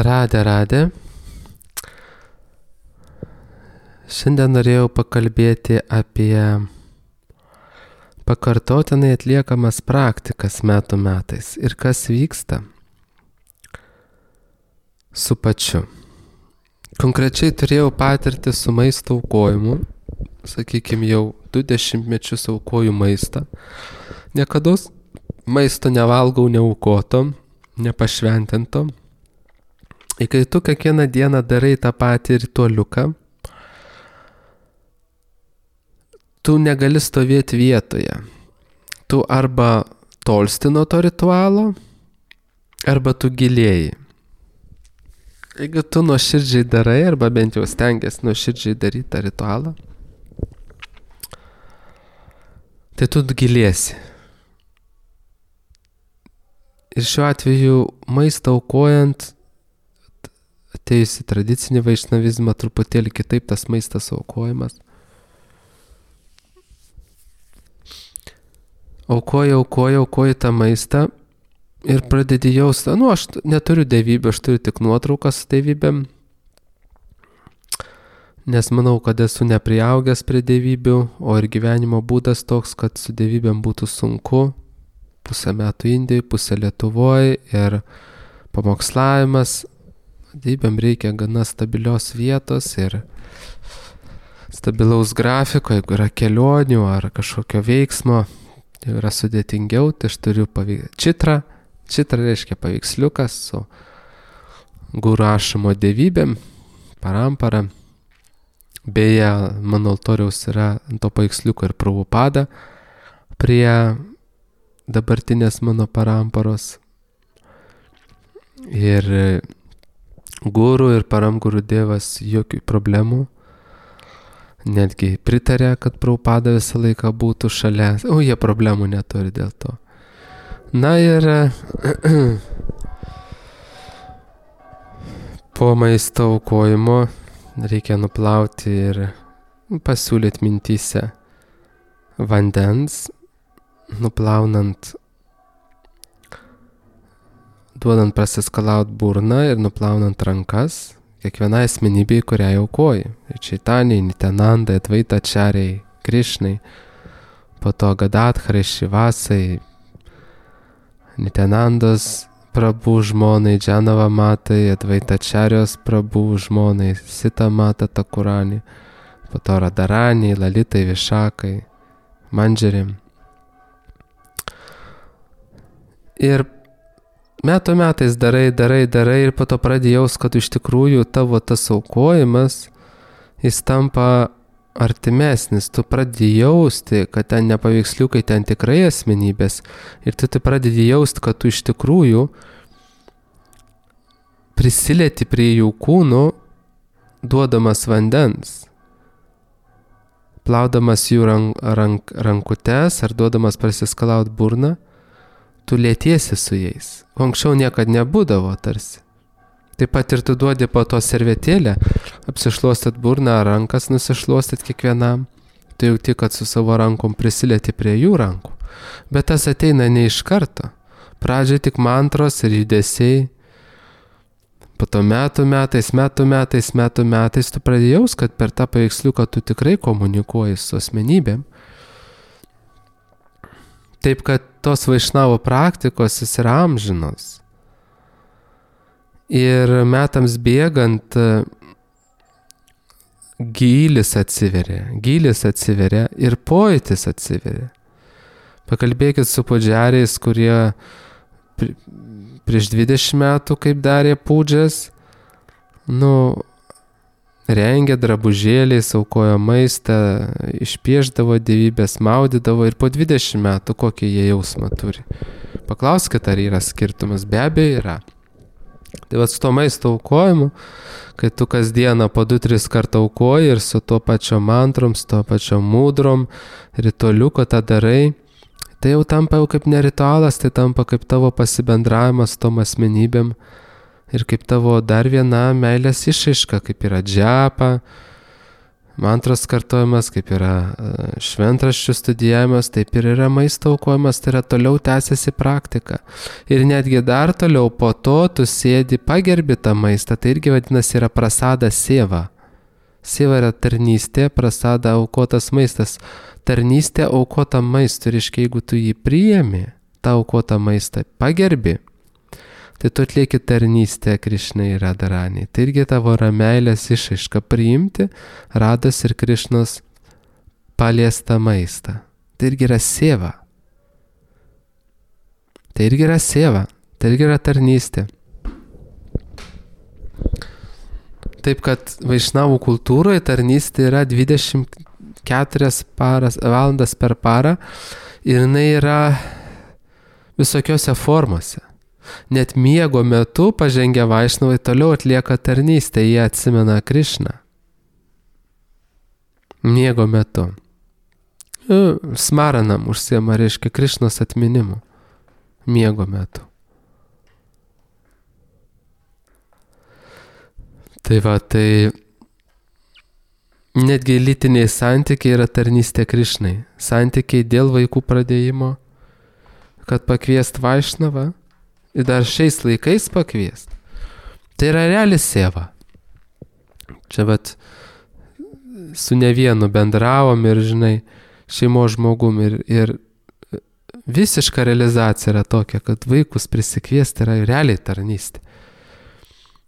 Radė. Šiandien norėjau pakalbėti apie pakartotinai atliekamas praktikas metų metais ir kas vyksta su pačiu. Konkrečiai turėjau patirtį su maisto aukojimu, sakykime jau 20 mečius aukoju maistą. Niekada maisto nevalgau neaukoto, nepašventinto. Ir kai tu kiekvieną dieną darai tą patį ritualiuką, tu negali stovėti vietoje. Tu arba tolsti nuo to ritualo, arba tu gilėji. Jeigu tu nuoširdžiai darai, arba bent jau stengiasi nuoširdžiai daryti tą ritualą, tai tu gilėsi. Ir šiuo atveju maistą aukojant, atėjus į tradicinį vaišnavizmą, truputėlį kitaip tas maistas aukojimas. Aukoju tą maistą ir pradedi jausti, aš neturiu dievybių, aš turiu tik nuotraukas su dievybėm, nes manau, kad esu nepriaugęs prie dievybių, o ir gyvenimo būdas toks, kad su dievybėm būtų sunku, pusę metų Indijoje, pusę Lietuvoje ir pamokslavimas, dievybėm reikia gana stabilios vietos ir stabilaus grafiko, jeigu yra kelionių ar kažkokio veiksmo, tai yra sudėtingiau, tai aš turiu čitrą reiškia paveiksliukas su guru ašamo dievybėm, parampara. Beje, mano altoriaus yra ant to paveiksliuko ir Prabhupada prie dabartinės mano paramparos. Ir guru ir paramguru dievas jokių problemų. Netgi pritarė, kad Prabhupada visą laiką būtų šalia. Jie problemų neturi dėl to. Na ir po maisto aukojimo reikia nuplauti ir pasiūlyti mintyse vandens, nuplaunant, duodant prasiskalauti burną ir nuplaunant rankas kiekvienai asmenybei, kurią aukoji. Čaitanijai, Nityanandai, Advaitačarijai, Krišnai, po to Gadatharai, Šivasai, Nityanandos Prabhu žmonai, Džanava matai, Advaitačarijos Prabhu žmonai, Sita mata Takurani, po to Radaraniai, Lalitai, Višakai, Mandžeriam. Ir metų metais darai ir po to pradėjaus, kad iš tikrųjų tavo tas aukojimas, jis tampa artimesnis, tu pradėjausti, kad ten ne paveiksliukai, ten tikrai asmenybės ir tu pradėjausti, kad tu iš tikrųjų prisilieti prie jų kūnų, duodamas vandens, plaudamas jų rankutes ar duodamas prasiskalauti burną, tu lietiesi su jais. Anksčiau niekad nebūdavo tarsi. Taip pat ir tu duodi po to servetėlę, apsišluostat burną, rankas nusišluostat kiekvienam. Tu jauti, kad su savo rankom prisilieti prie jų rankų. Bet tas ateina ne iš karto. Pradžiai tik mantros ir judesiai. Po to metų metais tu pradėjaus, kad per tą paveiksliuką tu tikrai komunikuoji su asmenybėm. Taip, kad tos vaišnavo praktikos jis yra amžinos. Ir metams bėgant gylis atsiveria ir pojūtis atsiveria. Pakalbėkit su pudžiariais, kurie prieš 20 metų, kaip darė pudžias, rengė drabužėliais, aukojo maistą, išpieždavo dievybės, maudydavo ir po 20 metų kokį jie jausmą turi. Paklauskit, ar yra skirtumas, be abejo yra. Tai su to maisto aukojimu, kai tu kasdieną po 2-3 kartą aukoji ir su to pačio mantrom, su to pačio mūdrom, ritualiuko tą darai, tai jau tampa jau kaip ne ritualas, tai tampa kaip tavo pasibendravimas su tom asmenybėm ir kaip tavo dar viena meilės išraiška, kaip yra džiapa, Mantros kartojimas, kaip yra šventraščių studijavimas, taip ir yra maisto aukojimas, tai yra toliau tęsiasi praktika. Ir netgi dar toliau po to tu sėdi, pagerbi tą maistą, tai irgi vadinasi yra prasada sieva. Sieva yra tarnystė, prasada aukotas maistas. Tarnystė aukota maistui, reiškia, jeigu tu jį priėmi, tą aukotą maistą pagerbi, tai tu atlieki tarnystę Krišnai Radharani. Tai irgi tavo yra meilės išraiška priimti Rados ir Krišnos paliestą maistą. Tai irgi yra sieva. Tai irgi yra sieva. Tai irgi yra tarnystė. Taip kad vaišnavų kultūroje tarnystė yra 24 valandas per parą ir jinai yra visokiose formose. Net miego metu pažengę vaišnavai toliau atlieka tarnystę, jie atsimena Krišną. Miego metu. Smaranam užsiema, reiškia Krišnos atminimu. Miego metu. Tai va, tai netgi lytiniai santykiai yra tarnystė Krišnai. Santykiai dėl vaikų pradėjimo, kad pakviest vaišnavą ir dar šiais laikais pakviest. Tai yra reali sieva. Čia vat su ne vienu bendravom ir, žinai, šeimos žmogum ir visiška realizacija yra tokia, kad vaikus prisikviesti yra realiai tarnystė.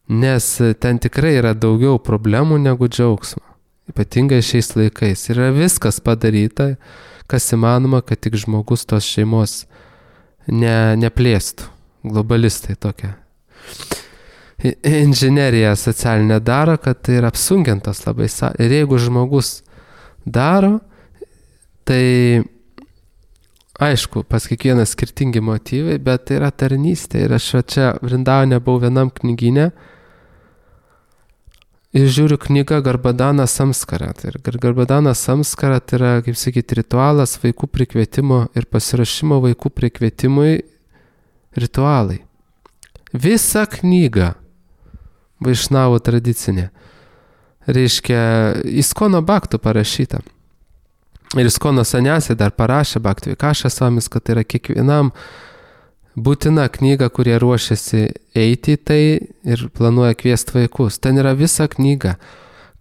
Nes ten tikrai yra daugiau problemų negu džiaugsmo. Ypatingai šiais laikais. Yra viskas padaryta, kas įmanoma, kad tik žmogus tos šeimos neplėstų. Globalistai tokia. Inžinerija socialinė daro, kad tai yra apsunkintas labai. Ir jeigu žmogus daro, tai aišku, pas kiekvieną skirtingi motyvai, bet tai yra tarnystė. Ir aš čia Vrindavane buvau vienam knygyne ir žiūriu knygą Garbadana Samskara. Ir Garbadana Samskara tai yra, kaip sakyti, ritualas vaikų prikvietimo ir pasirašymo vaikų prikvietimui ritualai. Visa knyga vaišnavų tradicinė. Reiškia, Iskono Bhaktų parašyta. Ir Iskono Saniasi dar parašė Bhakti Vikaša Svamis, kad tai yra kiekvienam būtina knyga, kurie ruošiasi eiti į tai ir planuoja kviesti vaikus. Ten yra visa knyga.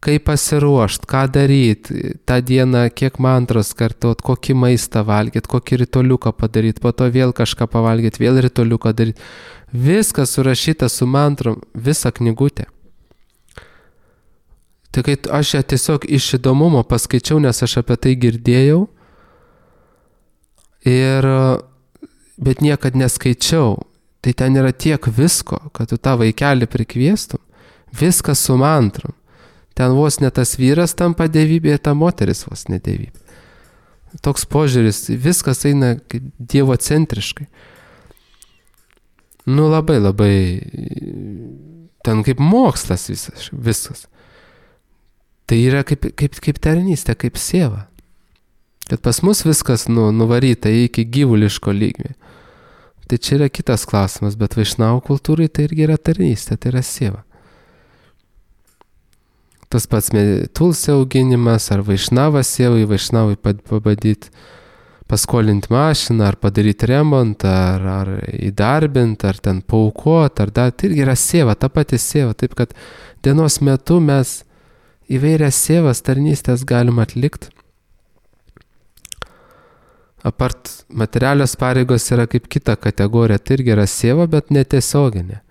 Kaip pasiruošti, ką daryti, tą dieną kiek mantros kartot, kokį maistą valgyti, kokį ritualiuką padaryti, po to vėl kažką pavalgyti, vėl ritualiuką daryti. Viskas surašyta su mantrom, visa knygutė. Tai kai aš ją tiesiog iš įdomumo paskaičiau, nes aš apie tai girdėjau, bet niekad neskaičiau. Tai ten yra tiek visko, kad tu tą vaikelį prikviestum, viskas su mantrom. Ten vos ne tas vyras tampa dievybė ir ta moteris vos ne dievybė. Toks požiūris, viskas eina dievocentriškai. Nu labai, ten kaip mokslas viskas. Tai yra kaip tarnystė, kaip sieva. Kad pas mus viskas nuvaryta iki gyvuliško lygmė. Tai čia yra kitas klausimas, bet vaišnavų kultūrai tai irgi yra tarnystė, tai yra sieva. Tas pats tulsi auginimas, ar vaišnavas sievai, vaišnavai pabandyti paskolinti mašiną, ar padaryti remontą, ar įdarbinti, ar ten paaukoti, ar dar, tai irgi yra sieva, ta pati sieva. Taip kad dienos metu mes įvairias sievas tarnystės galim atlikti. Apart materialios pareigos yra kaip kita kategorija, tai irgi yra sieva, bet netiesioginė.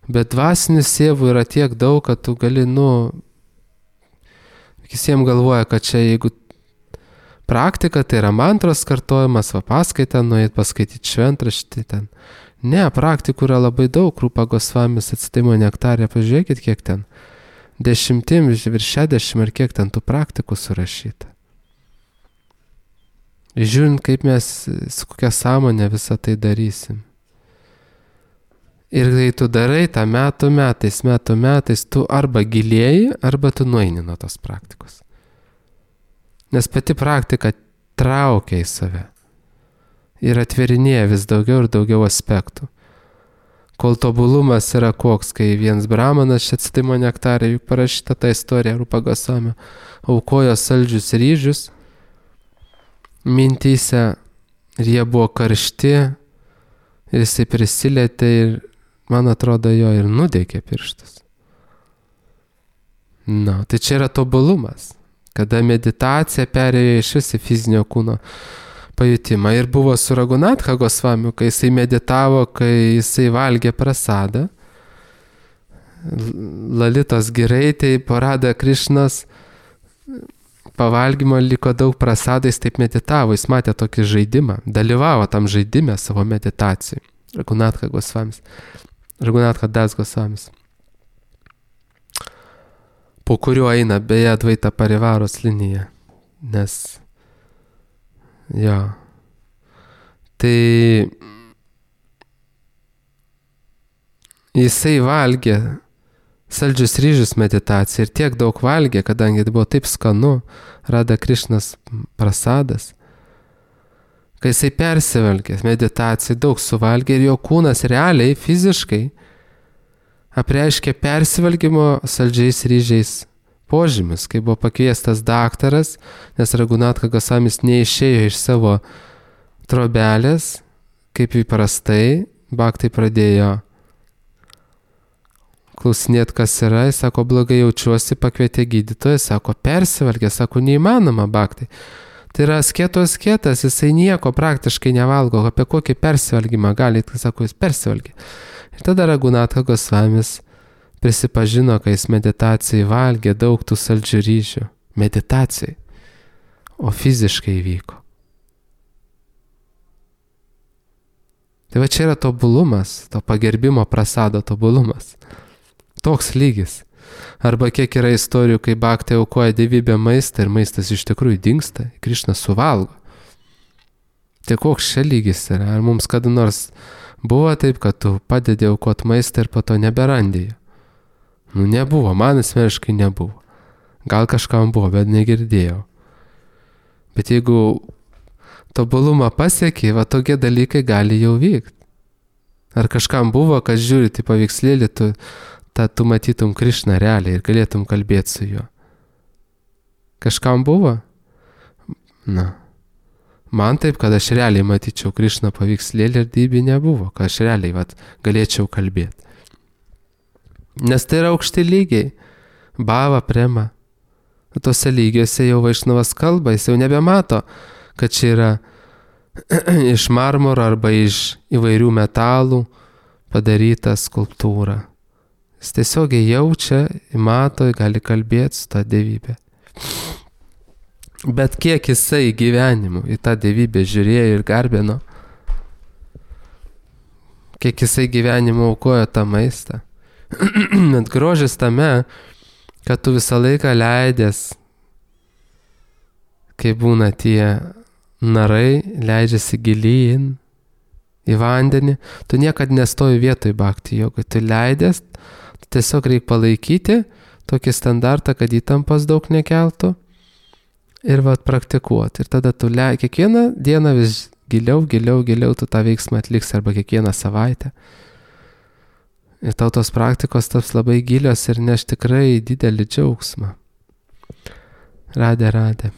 Bet dvasinių sievų yra tiek daug, kad tu gali, visiems galvoja, kad čia jeigu praktika, tai yra mantros kartojimas, va paskaitą, nueit paskaityti šventraštį ten. Ne, praktikų yra labai daug, Rūpa Gosvamis Atsidaimo nektarė, pažiūrėkit, kiek ten. 10, virš 60 ar kiek ten tų praktikų surašyta. Žiūrint, kaip mes, su kokia sąmonė visą tai darysim. Ir kai tu darai tą metų metais, tu arba gilėji, arba tu nueini nuo tos praktikos. Nes pati praktika traukia į save ir atverinėja vis daugiau ir daugiau aspektų. Kol tobulumas yra koks, kai vienas brahmanas Šecitimo nektarė, juk parašyta ta istorija Rupa Gosvamio, aukojo saldžius ryžius mintyse ir jie buvo karšti ir jisai prisilietė ir, man atrodo, jo ir nudegė pirštus. Tai čia yra tobulumas, kada meditacija perėjo iš visi fizinio kūno pajutimą. Ir buvo su Raghunatha Gosvamiu, kai jisai meditavo, kai jisai valgė prasadą. Lalitos giraitėj Radha Krišnos pavalgymo liko daug prasadų, jis taip meditavo, jis matė tokį žaidimą, dalyvavo tam žaidime savo meditacijai. Raghunatha Das Gosvamis. Po kuriuo eina beje Advaita Parivaros linija. Nes tai jisai valgė saldžius ryžius meditaciją ir tiek daug valgė, kadangi tai buvo taip skanu, Radha Krišnos prasadas, kai jisai persivalgė meditaciją, daug suvalgė ir jo kūnas realiai, fiziškai apreiškė persivalgymo saldžiais ryžiais požymis, kai buvo pakviestas daktaras, nes Raghunatha Gosvamis neišėjo iš savo trobelės, kaip įprastai, bhaktai pradėjo klausinėti, kas yra, jis sako, blogai jaučiuosi, pakvietė gydytoją, sako, persivalgė, sako, neįmanoma bhaktai. Tai yra asketas, jisai nieko praktiškai nevalgo, apie kokį persivalgymą gali, sako, jis persivalgė. Ir tada Raghunatha Gosvamis prisipažino, kai jis meditacijai valgė daug tų saldžių ryžių. Meditacijai. O fiziškai vyko. Tai va čia yra tobulumas, to pagerbimo prasado tobulumas. Toks lygis. Arba kiek yra istorijų, kai bhaktai aukoja dievybę maistą ir maistas iš tikrųjų dingsta, Krišna suvalgo. Tai koks čia lygis yra? Ar mums kada nors buvo taip, kad tu padedi aukoti maistą ir po to neberandėjai? Nebuvo, man asmeniškai nebuvo. Gal kažkam buvo, bet negirdėjau. Bet jeigu tobulumą pasiekė, va tokie dalykai gali jau vykti. Ar kažkam buvo, kas žiūri į paveikslėlį, tu matytum Krišną realiai ir galėtum kalbėti su juo. Kažkam buvo? Man taip, kad aš realiai matyčiau Krišną paveikslėlį ir dybį nebuvo, kad aš realiai galėčiau kalbėti. Nes tai yra aukšti lygiai. Bhava, prema. Tose lygiuose jau Vaišnavas kalba, jis jau nebemato, kad čia yra iš marmuro arba iš įvairių metalų padaryta skulptūra. Jis tiesiogiai jaučia, mato, gali kalbėti su tą dievybę. Bet kiek jisai gyvenimu į tą dievybę žiūrėjo ir garbino, kiek jisai gyvenimu aukojo tą maistą. Net grožis tame, kad tu visą laiką leidęs, kai būna tie narai, leidžiasi gilyn į vandenį, tu niekad nestoji vietoj bhakti jogoj, tu leidęs, tiesiog reikia palaikyti tokį standartą, kad įtampas daug nekeltų ir praktikuoti. Ir tada tu kiekvieną dieną vis giliau tu tą veiksmą atliksi arba kiekvieną savaitę. Ir tau tos praktikos taps labai gilios ir neš tikrai didelį džiaugsmą. Radhe.